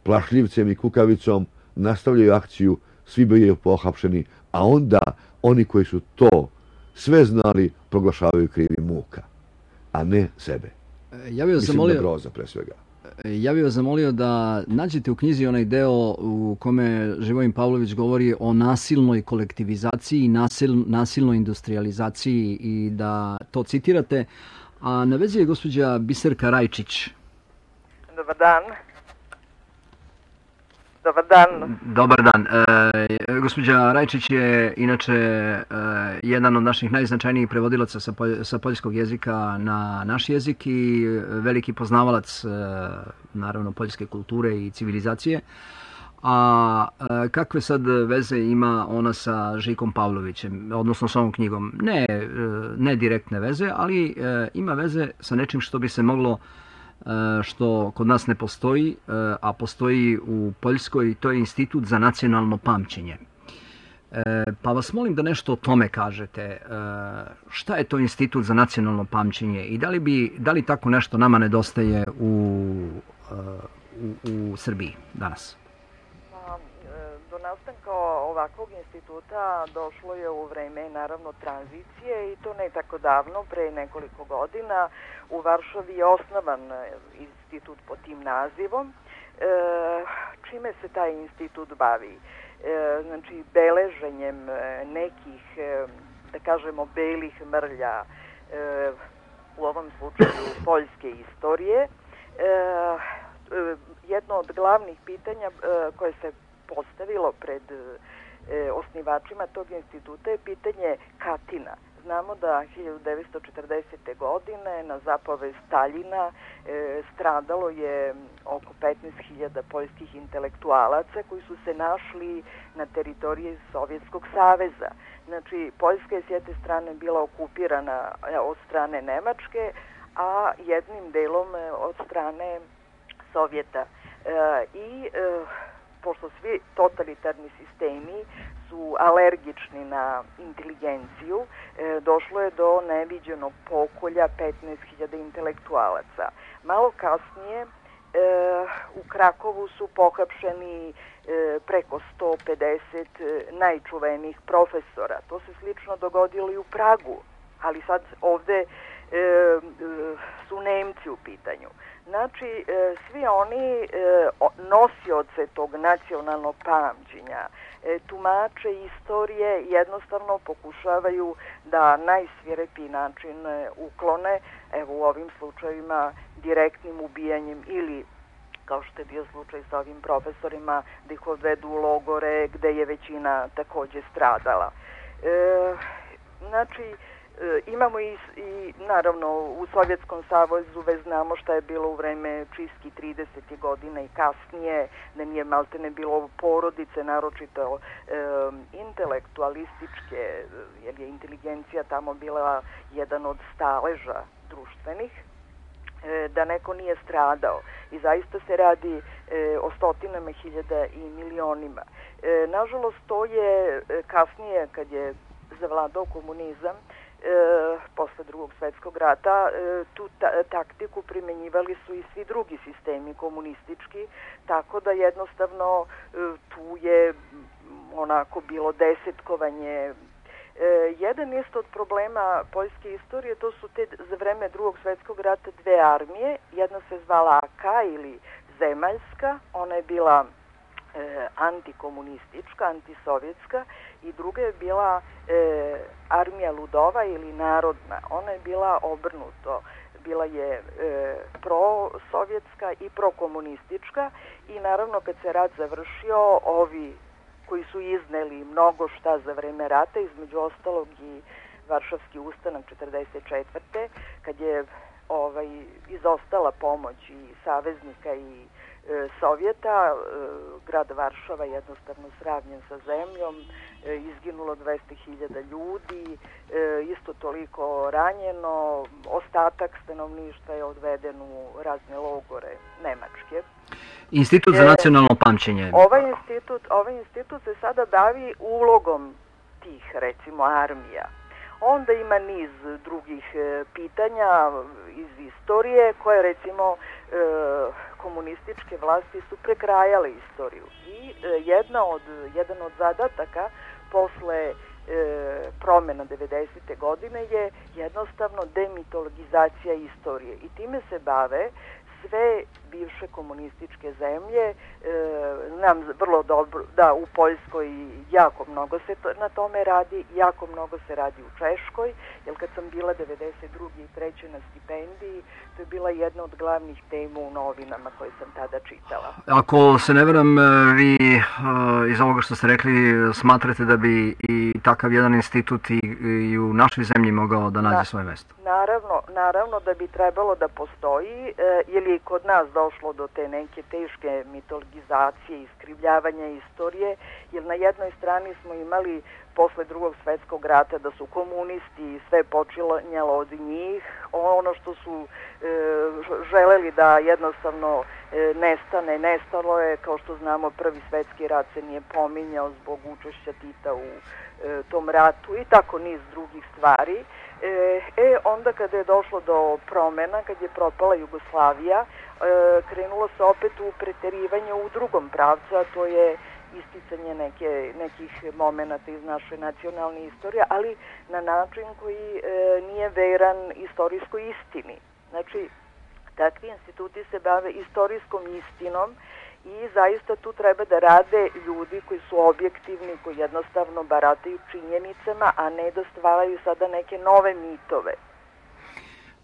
plašljivcem i kukavicom, nastavljaju akciju, svi bili pohapšeni, a onda oni koji su to sve znali proglašavaju krivi Muka, a ne sebe. Mislim na Broza pre svega. Ja bih vas zamolio da nađete u knjizi onaj deo u kome Živojin Pavlović govori o nasilnoj kolektivizaciji i nasilnoj industrializaciji i da to citirate. A na vezi je gospođa Biserka Rajčić. Dobar dan. Dobar dan. Dobar dan. Gospođa Rajčić je inače jedan od naših najznačajnijih prevodilaca sa poljskog jezika na naš jezik i veliki poznavalac naravno poljske kulture i civilizacije. A kakve sad veze ima ona sa Žikom Pavlovićem, odnosno s ovom knjigom? Ne direktne veze, ali ima veze sa nečim što bi se moglo, što kod nas ne postoji, a postoji u Poljskoj, to je Institut za nacionalno pamćenje. Pa vas molim da nešto o tome kažete. Šta je to Institut za nacionalno pamćenje i da li tako nešto nama nedostaje u Srbiji danas? Do nastanka ovakvog instituta došlo je u vreme naravno tranzicije i to ne tako davno, pre nekoliko godina. U Varšavi je osnovan institut pod tim nazivom. Čime se taj institut bavi? Znači, beleženjem nekih, da kažemo, belih mrlja, u ovom slučaju poljske istorije. Jedno od glavnih pitanja koje se postavilo pred osnivačima tog instituta je pitanje Katina. Znamo da 1940. godine na zapovest Staljina stradalo je oko 15.000 poljskih intelektualaca koji su se našli na teritoriji Sovjetskog saveza. Znači, Poljska je s jedne strane bila okupirana od strane Nemačke, a jednim delom od strane Sovjeta. Pošto svi totalitarni sistemi su alergični na inteligenciju, došlo je do neviđenog pokolja 15.000 intelektualaca. Malo kasnije u Krakovu su pohapšeni preko 150 najčuvenijih profesora. To se slično dogodilo i u Pragu, ali sad ovde su Nemci u pitanju. Znači, svi oni nosioce tog nacionalnog pamćenja, tumače istorije jednostavno pokušavaju da najsvirepiji način uklone, evo u ovim slučajevima direktnim ubijanjem ili, kao što je bio slučaj sa ovim profesorima, da ih odvedu u logore gde je većina takođe stradala. Znači, imamo i naravno u Sovjetskom savezu već znamo šta je bilo u vreme čistki 30. godina i kasnije, da nije maltene bilo porodice, naročito intelektualističke, jer je inteligencija tamo bila jedan od staleža društvenih, da neko nije stradao. I zaista se radi o stotinama hiljada i milionima. Nažalost, to je kasnije, kad je zavladao komunizam, posle Drugog svetskog rata, tu taktiku primenjivali su i svi drugi sistemi komunistički, tako da jednostavno tu je onako bilo desetkovanje. Jedan isto od problema poljske istorije, to su te za vreme Drugog svetskog rata dve armije, jedna se zvala AK ili zemaljska, ona je bila antikomunistička, antisovjetska, i druga je bila armija ludova ili narodna. Ona je bila obrnuto. Bila je prosovjetska i prokomunistička i naravno kad se rat završio, ovi koji su izneli mnogo šta za vreme rata, između ostalog i Varšavski ustanak 1944. kad je izostala pomoć i saveznika i Sovjeta, grad Varšava jednostavno sravnjen sa zemljom, izginulo 200.000 ljudi, isto toliko ranjeno, ostatak stanovništva je odveden u razne logore Nemačke. Institut za nacionalno pamćenje. Ovaj institut se sada bavi ulogom tih, recimo, armija. Onda ima niz drugih pitanja iz istorije koje, recimo, komunističke vlasti su prekrajale istoriju. I jedan od zadataka posle promena 90. godine je jednostavno demitologizacija istorije. I time se bave sve bivše komunističke zemlje. Znam vrlo dobro da u Poljskoj jako mnogo se na tome radi, jako mnogo se radi u Češkoj, jer kad sam bila 92. i 3. na stipendiji, to je bila jedna od glavnih tema u novinama koje sam tada čitala. Ako se ne veram, vi iz ovoga što ste rekli smatrate da bi i takav jedan institut i u našoj zemlji mogao da nađe svoje mesto? Naravno da bi trebalo da postoji, jer je kod nas došlo do te neke teške mitologizacije, iskrivljavanja istorije, jer na jednoj strani smo imali posle Drugog svetskog rata da su komunisti sve počinjalo od njih, ono što su želeli da jednostavno nestalo je, kao što znamo, Prvi svetski rat se nije pominjao zbog učešća Tita u tom ratu i tako niz drugih stvari. Onda kada je došlo do promena, kad je propala Jugoslavija, krenulo se opet u preterivanje u drugom pravcu, a to je isticanje nekih momenata iz naše nacionalne istorije, ali na način koji nije veran istorijskoj istini. Znači, takvi instituti se bave istorijskom istinom i zaista tu treba da rade ljudi koji su objektivni, koji jednostavno barataju činjenicama, a ne da stvaraju sada neke nove mitove.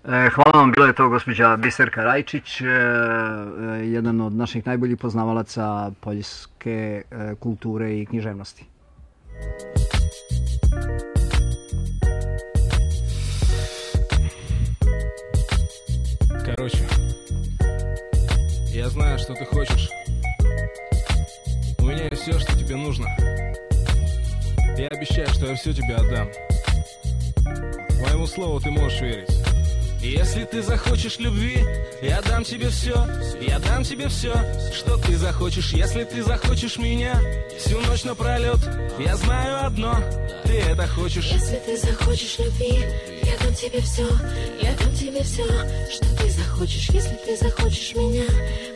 Hvala vam, bila je to gospođa Biserka Rajčić, jedan od naših najboljih poznavalaca poljske kulture i književnosti. Короче, я знаю, что ты хочешь. У меня есть все, что тебе нужно. Я обещаю, что я все тебе отдам. Моему слову ты можешь верить. Если ты захочешь любви, я дам тебе все, я дам тебе все, что ты захочешь. Если ты захочешь меня всю ночь напролет, я знаю одно, ты это хочешь. Если ты захочешь любви, я дам тебе все, я дам тебе все, что ты захочешь. Если ты захочешь меня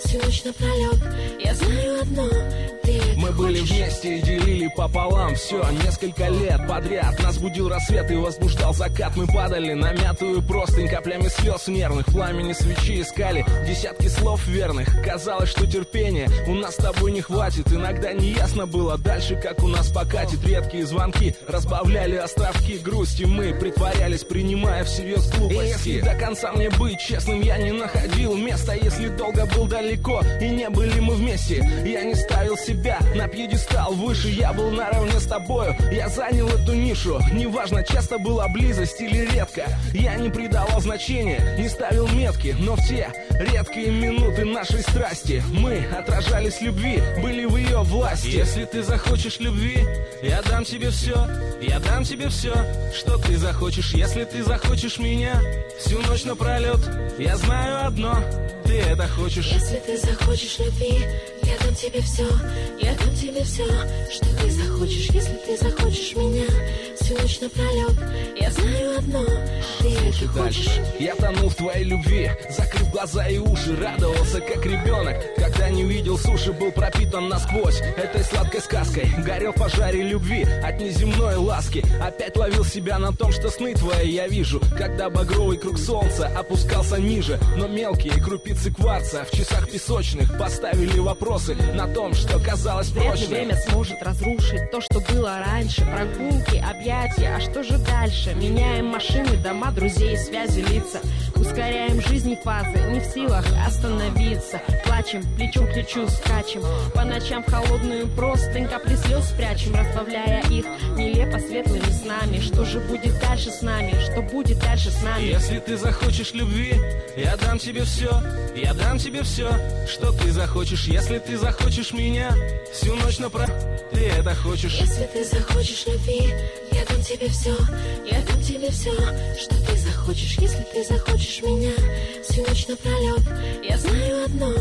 всю ночь напролет, я знаю одно, ты это Мы были хочешь. вместе и делили пополам все несколько лет подряд. Нас будил рассвет и возбуждал закат. Мы падали на мятую простынь, каплями слез нервных. В пламени свечи искали десятки слов верных. Казалось, что терпения у нас с тобой не хватит. Иногда неясно было дальше, как у нас покатит. Редкие звонки разбавляли островки грусти. Мы притворялись, принимая всерьез глупости. И если до конца мне быть честным я не находил места, если долго был далеко и не были мы вместе, я не ставил себя на пьедестал выше. Я был наравне с тобою, я занял эту нишу. Неважно, часто была близость или редко, я не придавал значения, не ставил метки. Но в те редкие минуты нашей страсти мы отражались любви, были в ее власти. Если ты захочешь любви, я дам тебе все, я дам тебе все, что ты захочешь. Если ты захочешь меня всю ночь напролет, я знаю одно, ты это хочешь. Если ты захочешь любви, я дам тебе все, я дам тебе все, что ты захочешь. Если ты захочешь меня всю ночь напролет, я знаю одно, ты это хочешь. Я тонул в твоей любви, закрыв глаза и уши, радовался как ребенок, когда не видел суши, был пропитан насквозь этой сладкой сказкой. Горел в пожаре любви от неземной ласки. Опять ловил себя на том, что сны твои я вижу, когда багровый круг солнца опускался ниже. Но мелкие крупицы кварца в часах песочных поставили вопросы на том, что казалось Вряд ли прочным. время сможет разрушить то, что было раньше. Прогулки, объятия, а что же дальше? Меняем машины, дома, друзей, связи, лица. Ускоряем жизнь фазы, не в силах остановиться. Плачем, плечом к плечу скачем. По ночам в холодную простынь капли слез спрячем, разбавляя их нелепо светлыми снами. Что же будет дальше с нами? Что будет дальше с нами? Если ты захочешь любви, я дам тебе все, я дам тебе все, что ты захочешь. Если ты захочешь меня всю ночь напролет, ты это хочешь. Если ты захочешь любви, я дам тебе все, я дам тебе все, что ты захочешь. Если ты захочешь меня всю ночь напролет, я знаю одно,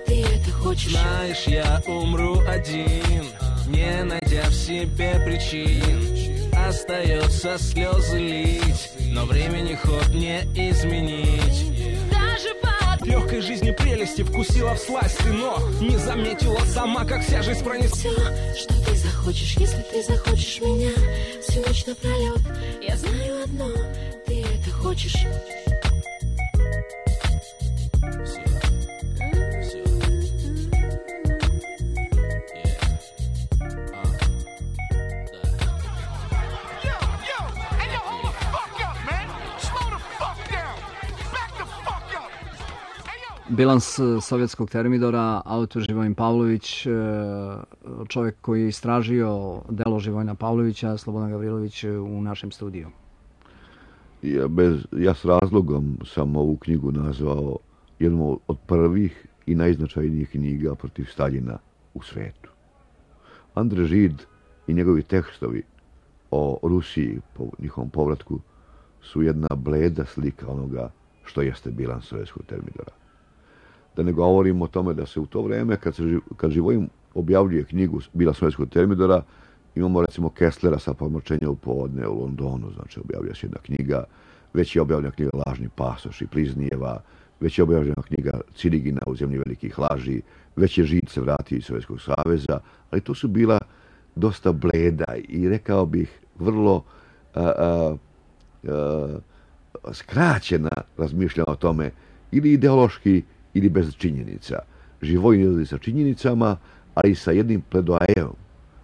ты это хочешь. Знаешь, я умру один, не найдя в себе причин. Остается слезы лить, но времени ход не изменить. Даже под Легкой жизни прелести вкусила всласть ты, но не заметила сама, как вся жизнь пронесла. Все, что ты захочешь. Если ты захочешь меня всю ночь напролет, я знаю одно, ты это хочешь. Bilans sovjetskog termidora, autor Živojin Pavlović, čovjek koji je istražio delo Živojina Pavlovića, Slobodan Gavrilović u našem studiju. Ja s razlogom sam ovu knjigu nazvao jednom od prvih i najznačajnijih knjiga protiv Staljina u svetu. Andre Žid i njegovi tekstovi o Rusiji po njihovom povratku su jedna bleda slika onoga što jeste bilans sovjetskog termidora. Da ne govorim o tome da se u to vrijeme, kad Živojin objavljuje knjigu Bilans sovjetskog termidora, imamo recimo Kesslera sa Pomračenja u podne u Londonu, znači objavlja se jedna knjiga, već je objavljena knjiga Lažni pasoš i Pliznijeva, već je objavljena knjiga Cirigina u zemlji velikih laži, već je Žid se vratio iz Sovjetskog saveza, ali to su bila dosta bleda i rekao bih vrlo skraćena razmišljanja o tome, ili ideološki ili bez činjenica. Živojin izlazi sa činjenicama, ali i sa jednim pledoajeom.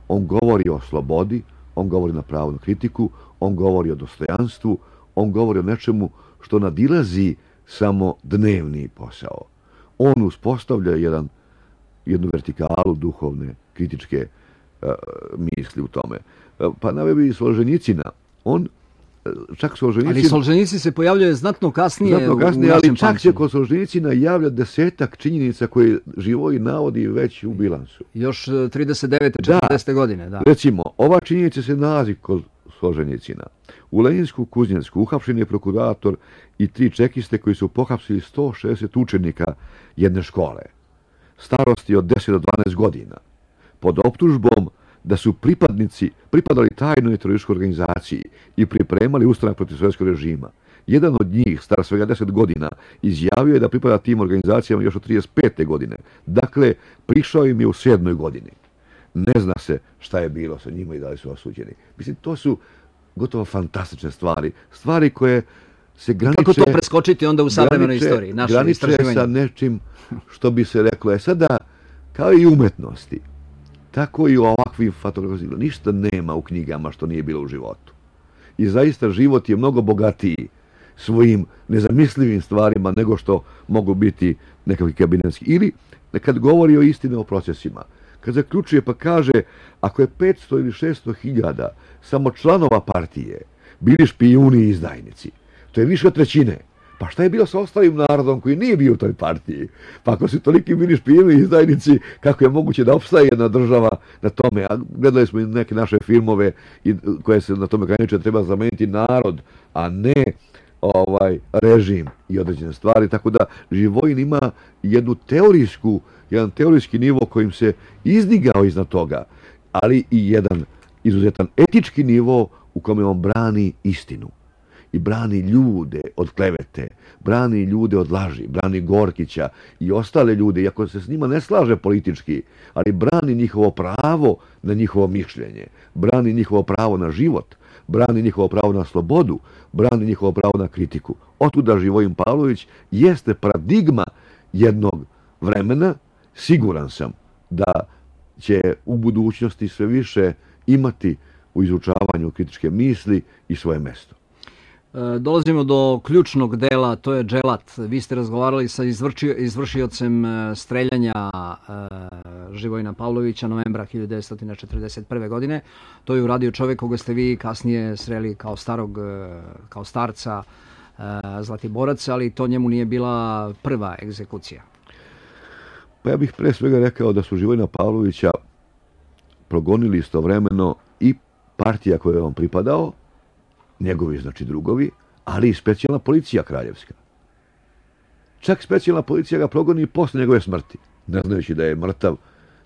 On govori o slobodi, on govori na pravu na kritiku, on govori o dostojanstvu, on govori o nečemu što nadilazi samo dnevni posao. On uspostavlja jednu vertikalu duhovne, kritičke misli u tome. Pa naveo bi Solženjicina. On, čak Solženjicin... Ali Solženjicin se pojavljuje znatno kasnije u našem ali čak se pamćenju. kod Solženjicina javlja 10-ak činjenica koje Živoj navodi već u bilansu. Još 39. 40. godine, da. Recimo, ova činjenica se nalazi kod Solženjicina. U Leninsku Kuznjensku uhapšen je prokurator i 3 čekiste koji su pohapsili 160 učenika jedne škole, starosti od 10 do 12 godina, pod optužbom da su pripadali tajnoj terorističkoj organizaciji i pripremali ustanak protiv sovjetskog režima. Jedan od njih, star svega 10 godina, izjavio je da pripada tim organizacijama još od 35. godine. Dakle, prišao im je u 7. godini. Ne zna se šta je bilo sa njima i da li su osuđeni. Mislim, to su gotovo fantastične stvari. Stvari koje se graniče... Kako to preskočiti onda u savremenoj istoriji? Graniče sa nečim što bi se reklo. Sada, kao i umetnosti, tako i u ovakvim fotografijama. Ništa nema u knjigama što nije bilo u životu. I zaista život je mnogo bogatiji svojim nezamislivim stvarima nego što mogu biti nekakvi kabinetski. Ili kad govori o istini o procesima. Kad zaključuje pa kaže, ako je 500 ili 600 hiljada samo članova partije bili špijuni i izdajnici, to je više od trećine. Pa šta je bilo sa ostalim narodom koji nije bio u toj partiji? Pa ako su toliki bili špijuni i izdajnici, kako je moguće da opstaje jedna država na tome? A gledali smo i neke naše filmove koje se na tome graniče, treba zameniti narod, a ne režim i određene stvari. Tako da Živojin ima jedan teorijski nivo kojim se izdigao iznad toga, ali i jedan izuzetan etički nivo u kome on brani istinu. I brani ljude od klevete, brani ljude od laži, brani Gorkića i ostale ljude, iako se s njima ne slaže politički, ali brani njihovo pravo na njihovo mišljenje, brani njihovo pravo na život, brani njihovo pravo na slobodu, brani njihovo pravo na kritiku. Otuda Živojin Pavlović jeste paradigma jednog vremena. Siguran sam da će u budućnosti sve više imati u izučavanju kritičke misli i svoje mesto. Dolazimo do ključnog dela, to je Dželat. Vi ste razgovarali sa izvršiocem streljanja Živojina Pavlovića novembra 1941. godine. To je uradio čovjek koga ste vi kasnije sreli kao starca Zlatiboraca, ali to njemu nije bila prva egzekucija. Pa ja bih pre svega rekao da su Živojina Pavlovića progonili istovremeno i partija kojoj je on pripadao, njegovi, znači drugovi, ali i specijalna policija kraljevska. Čak specijalna policija ga progoni posle njegove smrti, ne znajući da je mrtav.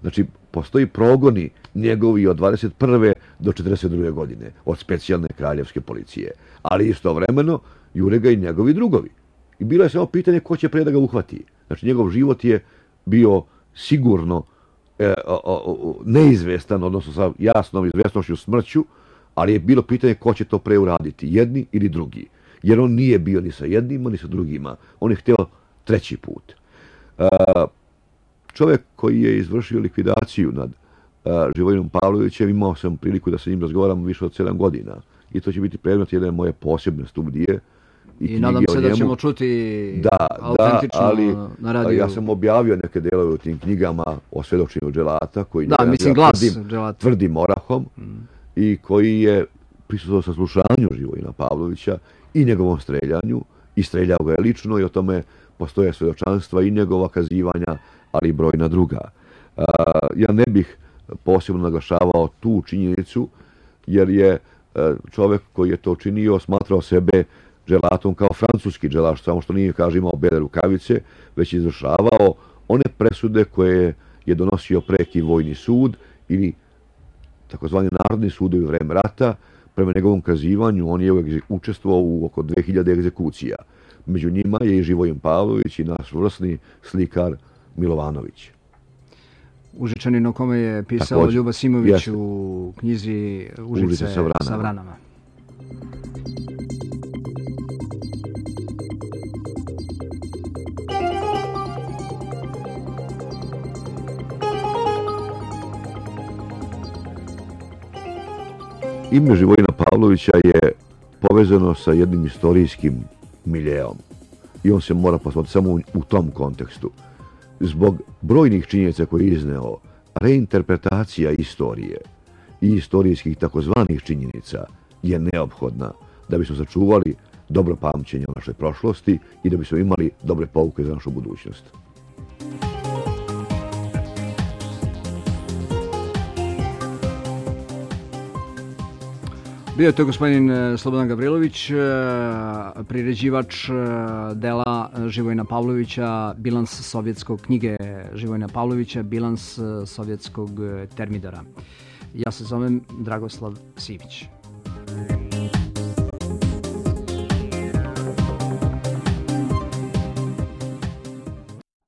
Znači, postoji progoni njegovi od 21. do 42. godine od specijalne kraljevske policije. Ali istovremeno jure ga i njegovi drugovi. I bilo je samo pitanje ko će pre da ga uhvati. Znači, njegov život je bio sigurno neizvestan, odnosno sa jasnom izvesnošću smrću, ali je bilo pitanje ko će to pre uraditi, jedni ili drugi. Jer on nije bio ni sa jednima, ni sa drugima. On je htio treći put. Čovjek koji je izvršio likvidaciju nad Živojinom Pavlovićem, imao sam priliku da sa njim razgovaram više od 7 godina. I to će biti predmet jedne moje posebne studije. I nadam se da ćemo čuti autentično na radiju. Ja sam objavio neke delove u tim knjigama o svedočenju Dželata, koji tvrdim orahom, i koji je prisustvovao saslušanju Živojina Pavlovića i njegovom streljanju, i streljao ga je lično, i o tome postoje svedočanstva i njegova kazivanja, ali i brojna druga. Ja ne bih posebno naglašavao tu činjenicu, jer je čovjek koji je to činio smatrao sebe dželatom kao francuski dželat, samo što nije, kaže, imao bele rukavice, već izvršavao one presude koje je donosio preki vojni sud ili takozvani narodni sudovi u vreme rata. Prema njegovom kazivanju on je učestvovao u oko 2000 egzekucija. Među njima je i Živojin Pavlović i naš vrsni slikar Milovanović. Užičanin o kome je pisao također Ljuba Simović u knjizi Užice sa vranama. Ime Živojina Pavlovića je povezano sa jednim istorijskim miljeom i on se mora posmatrati samo u tom kontekstu. Zbog brojnih činjenica koje je izneo, reinterpretacija istorije i istorijskih takozvanih činjenica je neophodna da bismo sačuvali dobro pamćenje o našoj prošlosti i da bismo imali dobre pouke za našu budućnost. Bio je to gospodin Slobodan Gavrilović, priređivač dela Živojina Pavlovića, bilans sovjetskog knjige Živojina Pavlovića, bilans sovjetskog termidora. Ja se zovem Dragoslav Sivić.